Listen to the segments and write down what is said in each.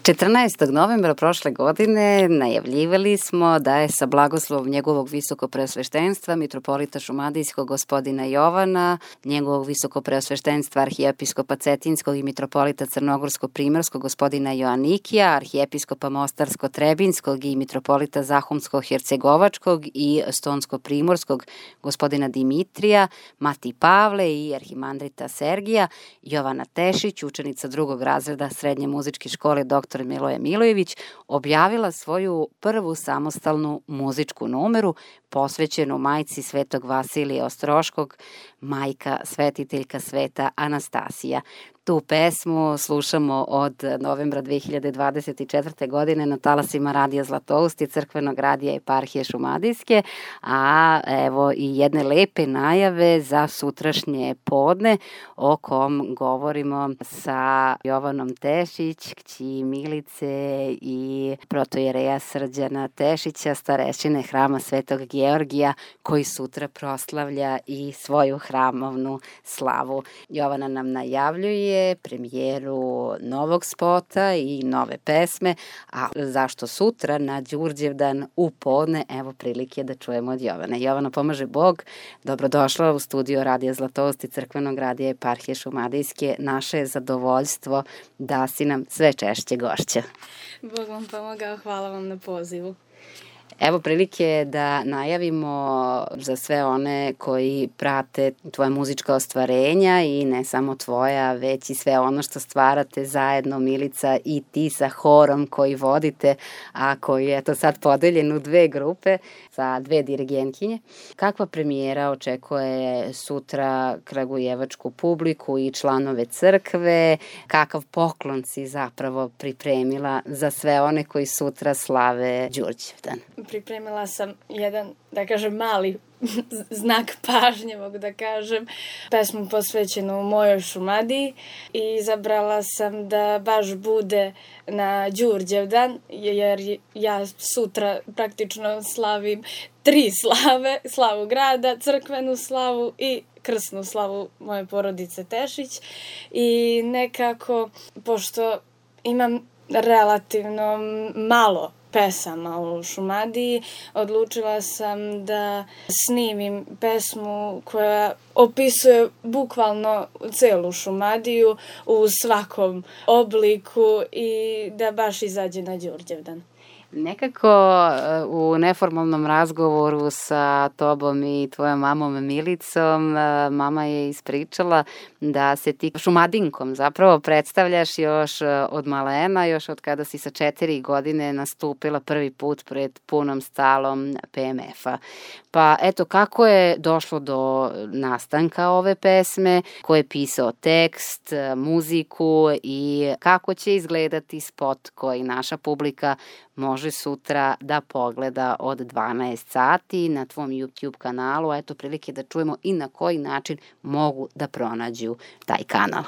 14. novembra prošle godine najavljivali smo da je sa blagoslovom njegovog visokopreosveštenstva mitropolita šumadijskog gospodina Jovana, njegovog visokopreosveštenstva arhijepiskopa Cetinskog i mitropolita crnogorsko-primorskog gospodina Joanikija, arhijepiskopa mostarsko-trebinskog i mitropolita zahumsko-hercegovačkog i stonsko-primorskog gospodina Dimitrija, Mati Pavle i arhimandrita Sergija, Jovana Tešić, učenica drugog razreda Srednje muzičke škole dr. Miloje Milojević, objavila svoju prvu samostalnu muzičku numeru posvećenu majci Svetog Vasilija Ostroškog, majka svetiteljka Sveta Anastasija. Tu pesmu slušamo od novembra 2024. godine na talasima Radija Zlatoust i Crkvenog radija Eparhije Šumadijske, a evo i jedne lepe najave za sutrašnje podne o kom govorimo sa Jovanom Tešić, kći Milice i protojereja Srđana Tešića, starešine Hrama Svetog Georgija, koji sutra proslavlja i svoju hramovnu slavu. Jovana nam najavljuje premijeru novog spota i nove pesme, a zašto sutra na Đurđevdan u podne, evo prilike da čujemo od Jovane. Jovana, pomaže Bog, dobrodošla u studio Radija Zlatoust i Crkvenog radija Eparhije Šumadijske. Naše je zadovoljstvo da si nam sve češće gošća. Bog vam pomogao, hvala vam na pozivu. Evo prilike da najavimo za sve one koji prate tvoja muzička ostvarenja i ne samo tvoja, već i sve ono što stvarate zajedno, Milica i ti sa horom koji vodite, a koji je to sad podeljen u dve grupe sa dve dirigentkinje. Kakva premijera očekuje sutra kragujevačku publiku i članove crkve? Kakav poklon si zapravo pripremila za sve one koji sutra slave Đurđevdan? Pripremila sam jedan, da kažem, mali znak pažnje, mogu da kažem, pesmu posvećenu mojoj Šumadiji i izabrala sam da baš bude na Đurđevdan, jer ja sutra praktično slavim 3 slave, slavu grada, crkvenu slavu i krsnu slavu moje porodice Tešić i nekako, pošto imam relativno malo pesama u Šumadiji, odlučila sam da snimim pesmu koja opisuje bukvalno celu Šumadiju u svakom obliku i da baš izađe na Đurđevdan. Nekako u neformalnom razgovoru sa tobom i tvojom mamom Milicom, mama je ispričala da se ti Šumadinkom zapravo predstavljaš još od malena, još od kada si sa 4 godine nastupila prvi put pred punom stalom PMF-a. Pa eto, kako je došlo do nastanka ove pesme, ko je pisao tekst, muziku i kako će izgledati spot koji naša publika može sutra da pogleda od 12 sati na tvom YouTube kanalu. Eto prilike da čujemo i na koji način mogu da pronađu taj kanal.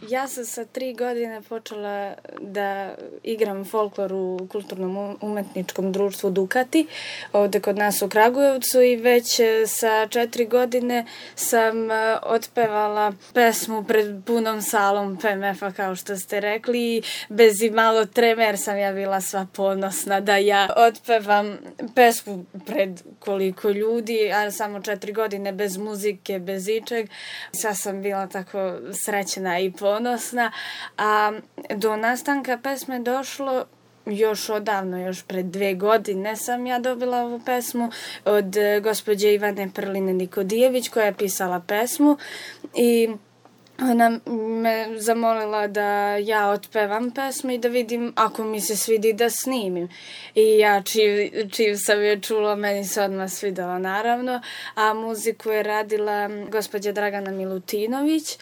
Ja sam sa 3 godine počela da igram folklor u kulturnom umetničkom društvu Dukati, ovde kod nas u Kragujevcu i već sa 4 godine sam otpevala pesmu pred punom salom PMF-a, kao što ste rekli, i bez i malo treme, jer sam ja bila sva ponosna da ja otpevam pesmu pred koliko ljudi, a samo 4 godine bez muzike, bez ičeg. Sva sam bila tako srećna i ponosna, a do nastanka pesme došlo još odavno, još pred 2 godine sam ja dobila ovu pesmu od gospođe Ivane Prline Nikodijević koja je pisala pesmu i ona me zamolila da ja otpevam pesmu i da vidim ako mi se svidi da snimim. I ja čim sam je čula, meni se odmah svidela naravno, a muziku je radila gospođa Dragana Milutinović.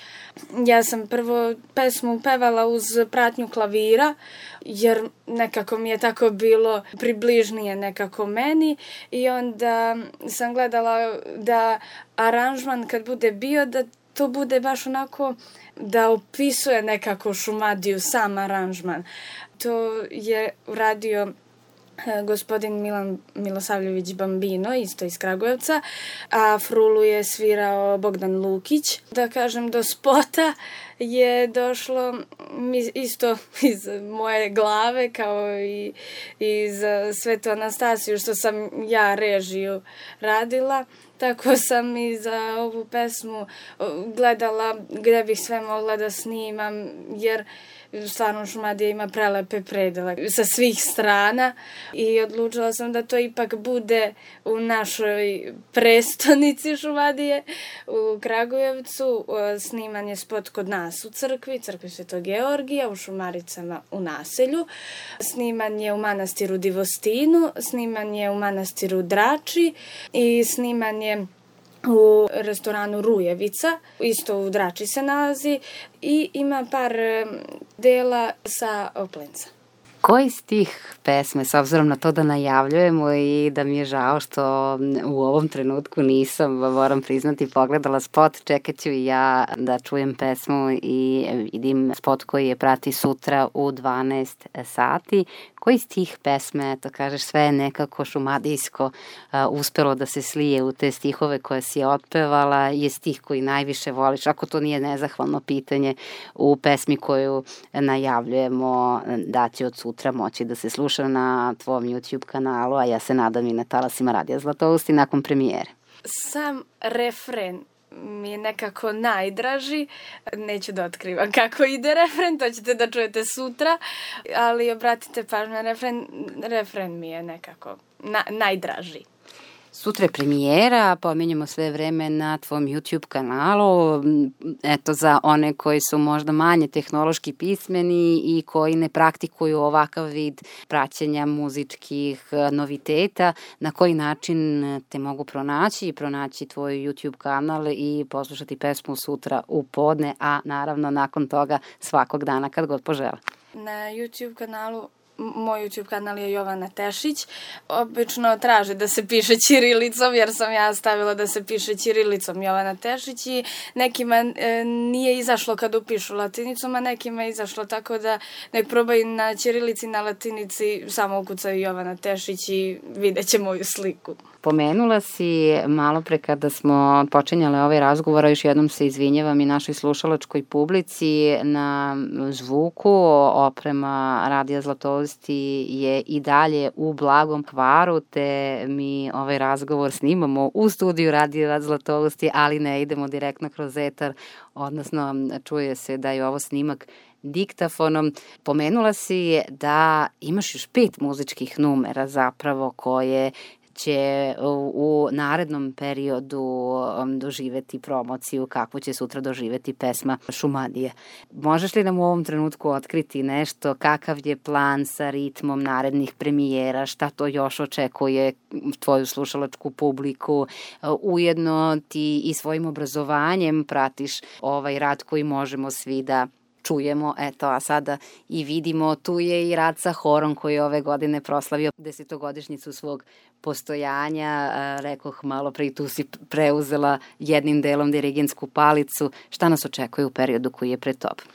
Ja sam prvo pesmu pevala uz pratnju klavira, jer nekako mi je tako bilo približnije nekako meni i onda sam gledala da aranžman kad bude bio da to bude baš onako da opisuje nekako Šumadiju, sam aranžman. To je uradio gospodin Milan Milosavljević Bambino, isto iz Kragujevca, a frulu je svirao Bogdan Lukić. Da kažem, do spota je došlo isto iz moje glave, kao i iz Svetu Anastasiju, što sam ja režiju radila. Tako sam i za ovu pesmu gledala gde bih sve mogla da snimam, jer stvarno Šumadija ima prelepe predele sa svih strana i odlučila sam da to ipak bude u našoj prestonici Šumadije, u Kragujevcu. Sniman je spot kod nas u crkvi Svetog Georgija, u Šumaricama u naselju. Sniman je u manastiru Divostinu, sniman je u manastiru Drači i sniman je u restoranu Rujevica, isto u Drači se nalazi, i ima par dela sa Oplenca. Koji stih pesme, s obzirom na to da najavljujemo i da mi je žao što u ovom trenutku nisam, moram priznati, pogledala spot, čekat ću i ja da čujem pesmu i vidim spot koji je prati sutra u 12 sati. Koji stih pesme, to kažeš, sve je nekako šumadijsko uspelo da se slije u te stihove koje si otpevala, je stih koji najviše voliš, ako to nije nezahvalno pitanje, u pesmi koju najavljujemo da će od sutra moći da se sluša na tvom YouTube kanalu, a ja se nadam i na talasima Radija Zlatousti nakon premijere. Sam refren mi je nekako najdraži. Neću da otkrivam kako ide refren, to ćete da čujete sutra, ali obratite pažnju na refren. Refren mi je nekako najdraži. Sutra je premijera, pominjamo sve vreme na tvom YouTube kanalu. Eto, za one koji su možda manje tehnološki pismeni i koji ne praktikuju ovakav vid praćenja muzičkih noviteta, na koji način te mogu pronaći tvoj YouTube kanal i poslušati pesmu sutra u podne, a naravno nakon toga svakog dana kad god požele. Na YouTube kanalu Moj YouTube kanal je Jovana Tešić. Obično traže da se piše ćirilicom, jer sam ja stavila da se piše ćirilicom Jovana Tešić i nekima nije izašlo kad upišu latinicom, a nekima je izašlo, tako da nek probaju na ćirilici, na latinici, samo ukucaju Jovana Tešić i vidjet će moju sliku. Pomenula si malo pre kada smo počinjali ovaj razgovor, a još jednom se izvinjavam i našoj slušalačkoj publici, na zvuku oprema Radija Zlatousti je i dalje u blagom kvaru, te mi ovaj razgovor snimamo u studiju Radija Zlatousti, ali ne idemo direktno kroz etar, odnosno čuje se da je ovo snimak diktafonom. Pomenula si da imaš još 5 muzičkih numera zapravo koje će u narednom periodu doživeti promociju kakvu će sutra doživeti pesma Šumadije. Možeš li nam u ovom trenutku otkriti nešto, kakav je plan sa ritmom narednih premijera, šta to još očekuje tvoju slušalačku publiku? Ujedno ti i svojim obrazovanjem pratiš ovaj rad koji možemo svi da čujemo, eto, a sada i vidimo, tu je i rad sa horom koji je ove godine proslavio 10-godišnjicu svog postojanja. Rekoh malo pre, tu si preuzela jednim delom dirigentsku palicu. Šta nas očekuje u periodu koji je pred tobom?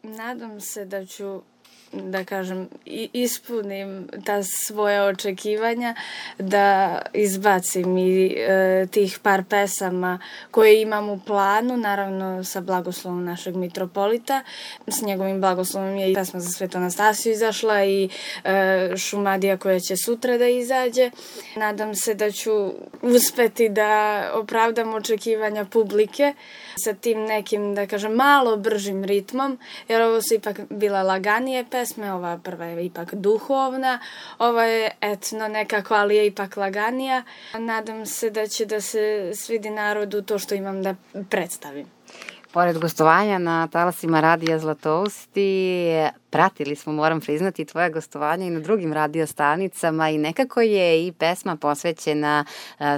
Nadam se da ću, da kažem, ispunim ta svoja očekivanja, da izbacim i tih par pesama koje imam u planu, naravno sa blagoslovom našeg mitropolita. S njegovim blagoslovom je i pesma za Svetu Anastasiju izašla i Šumadija koja će sutra da izađe. Nadam se da ću uspeti da opravdam očekivanja publike sa tim nekim, da kažem, malo bržim ritmom, jer ovo su ipak bila laganije pesme, ova prva je ipak duhovna, ova je etno nekako, ali je ipak laganija. Nadam se da će da se svidi narodu to što imam da predstavim. Pored gostovanja na talasima Radija Zlatousti, pratili smo, moram priznati, tvoje gostovanje i na drugim radio stanicama i nekako je i pesma posvećena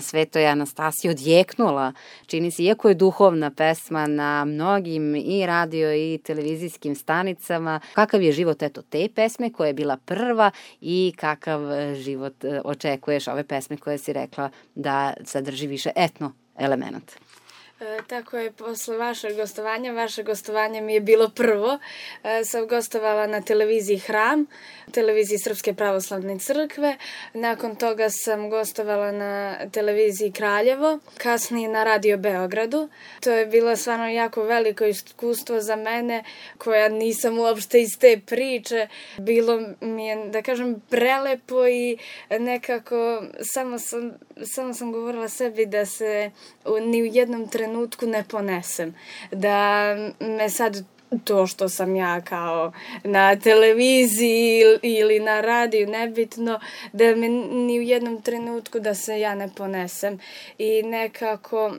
Svetoj Anastasiji odjeknula, čini se, iako je duhovna pesma na mnogim i radio i televizijskim stanicama. Kakav je život te pesme koja je bila prva i kakav život očekuješ ove pesme koje si rekla da sadrži više etno elemenata? Tako je, posle vaše gostovanje mi je bilo prvo. Sam gostovala na televiziji Hram, televiziji Srpske pravoslavne crkve. Nakon toga sam gostovala na televiziji Kraljevo, kasnije na Radio Beogradu. To je bilo stvarno jako veliko iskustvo za mene, koja nisam uopšte iz te priče. Bilo mi je, da kažem, prelepo i nekako samo sam govorila sebi da se ni u jednom trenutku ne ponesem. Da me sad to što sam ja kao na televiziji ili na radiju, nebitno, da me ni u jednom trenutku da se ja ne ponesem. I nekako,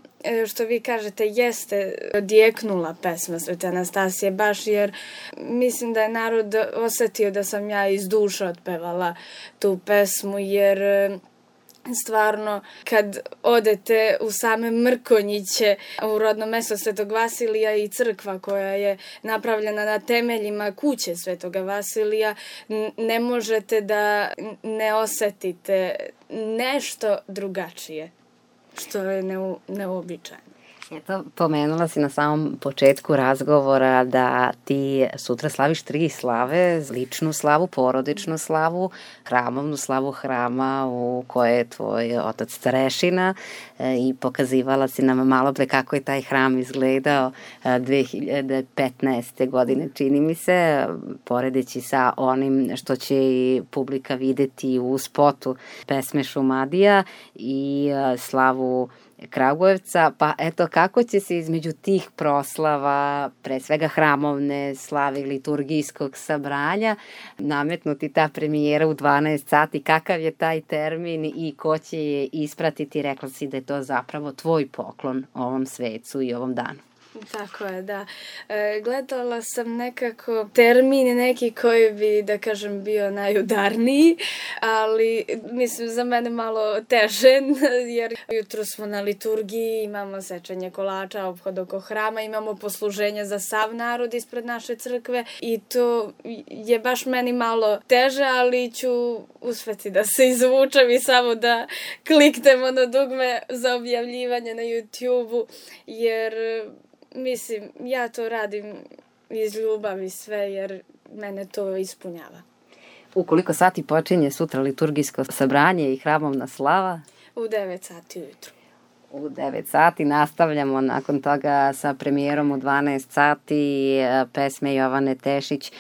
što vi kažete, jeste odjeknula pesma Svete Anastasije, baš jer mislim da je narod osetio da sam ja iz duše otpevala tu pesmu, jer stvarno, kad odete u same Mrkonjiće, u rodno mesto Svetog Vasilija i crkva koja je napravljena na temeljima kuće Svetoga Vasilija, ne možete da ne osetite nešto drugačije, što je neuobičajeno. Eto, pomenula si na samom početku razgovora da ti sutra slaviš 3 slave, ličnu slavu, porodičnu slavu, hramovnu slavu hrama u kojoj je tvoj otac starešina i pokazivala si nam malo pre kako je taj hram izgledao 2015. godine, čini mi se, poredeći sa onim što će i publika videti u spotu pesme Šumadija i slavu Kragujevca, pa eto kako će se između tih proslava, pre svega hramovne slave liturgijskog sabranja, nametnuti ta premijera u 12 sati, kakav je taj termin i ko će je ispratiti, rekla si da je to zapravo tvoj poklon ovom svecu i ovom danu. Tako je, da. Gledala sam nekako termin neki koji bi, da kažem, bio najudarniji, ali mislim za mene malo teže, jer jutro smo na liturgiji, imamo sečenje kolača, ophod oko hrama, imamo posluženje za sav narod ispred naše crkve i to je baš meni malo teže, ali ću uspeti da se izvučem i samo da kliknemo na dugme za objavljivanje na YouTube-u, jer mislim, ja to radim iz ljubavi sve, jer mene to ispunjava. U koliko sati počinje sutra liturgijsko sabranje i hramovna slava? U 9 sati ujutru. U 9 sati nastavljamo nakon toga sa premijerom u 12 sati pesme Jovane Tešić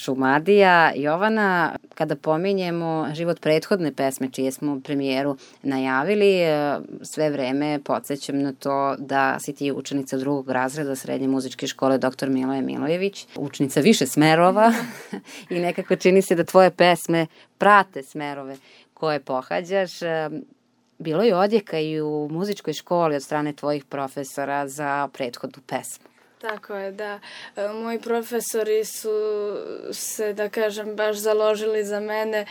Šumadija. Jovana, kada pominjemo život prethodne pesme čije smo premijeru najavili, sve vreme podsjećam na to da si ti učenica 2. razreda Srednje muzičke škole Dr. Miloje Milojević, učenica više smerova i nekako čini se da tvoje pesme prate smerove koje pohađaš. Bilo je odjeka i u muzičkoj školi od strane tvojih profesora za prethodnu pesmu. Tako je, da. Moji profesori su se, da kažem, baš založili za mene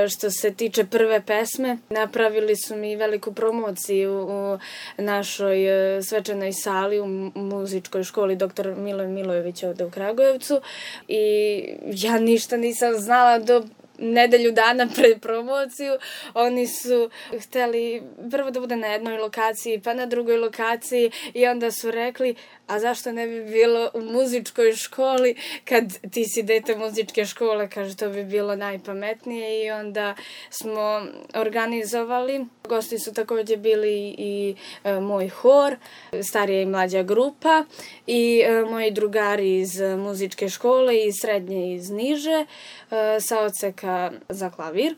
što se tiče prve pesme. Napravili su mi veliku promociju u našoj svečanoj sali u muzičkoj školi Dr. Miloje Milojević ovde u Kragujevcu i ja ništa nisam znala do nedelju dana pred promociju. Oni su hteli prvo da bude na jednoj lokaciji, pa na drugoj lokaciji i onda su rekli, a zašto ne bi bilo u muzičkoj školi, kad ti si dete muzičke škole, kaže, to bi bilo najpametnije i onda smo organizovali. Gosti su takođe bili i moj hor, starija i mlađa grupa i moji drugari iz muzičke škole i srednje iz niže sa odseka za klavir.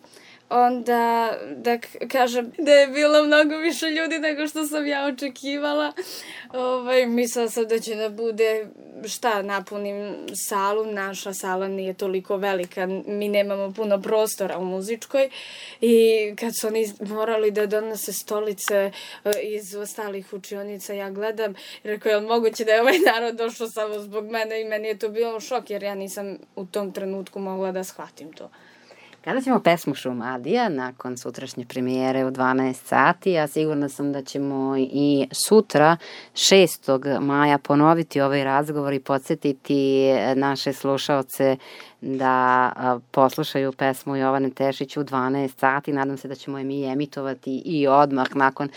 Onda, da kažem, da je bilo mnogo više ljudi nego što sam ja očekivala. Mislila sam da će da bude, napunim salu. Naša sala nije toliko velika, mi nemamo puno prostora u muzičkoj. I kad su oni morali da donose stolice iz ostalih učionica, ja gledam i rekao, je li moguće da je ovaj narod došao samo zbog mene i meni je to bilo šok, jer ja nisam u tom trenutku mogla da shvatim to. Kada ćemo pesmu Šumadija nakon sutrašnje premijere u 12 sati, a sigurna sam da ćemo i sutra 6. maja ponoviti ovaj razgovor i podsjetiti naše slušaoce da poslušaju pesmu Jovane Tešić u 12 sati. Nadam se da ćemo je mi emitovati i odmah nakon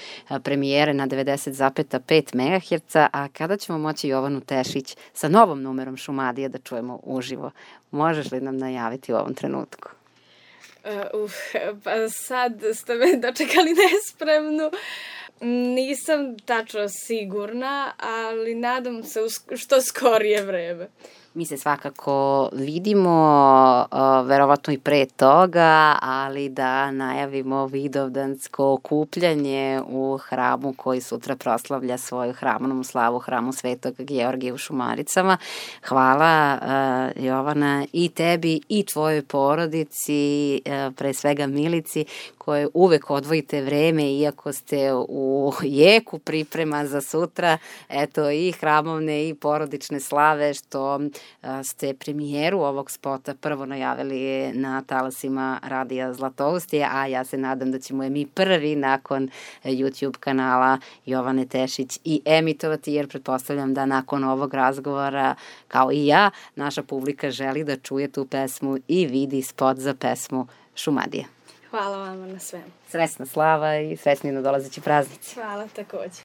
premijere na 90,5 MHz, a kada ćemo moći Jovanu Tešić sa novom numerom Šumadija da čujemo uživo? Možeš li nam najaviti u ovom trenutku? Pa sad ste me dočekali nespremnu. Nisam tačno sigurna, ali nadam se u što skorije vreme. Mi se svakako vidimo, verovatno i pre toga, ali da najavimo vidovdansko okupljanje u hramu koji sutra proslavlja svoju hramonu slavu, hramu Svetog Georgija u Šumaricama. Hvala, Jovana, i tebi i tvojoj porodici, pre svega Milici, koje uvek odvojite vreme, iako ste u jeku priprema za sutra, eto, i hramovne i porodične slave, što ste premijeru ovog spota prvo najavili na talasima Radija Zlatousti, a ja se nadam da ćemo je mi prvi nakon YouTube kanala Jovane Tešić i emitovati, jer pretpostavljam da nakon ovog razgovora, kao i ja, naša publika želi da čuje tu pesmu i vidi spot za pesmu Šumadija. Hvala vama na svemu. Srećna slava i srećni nadolazeći praznici. Hvala takođe.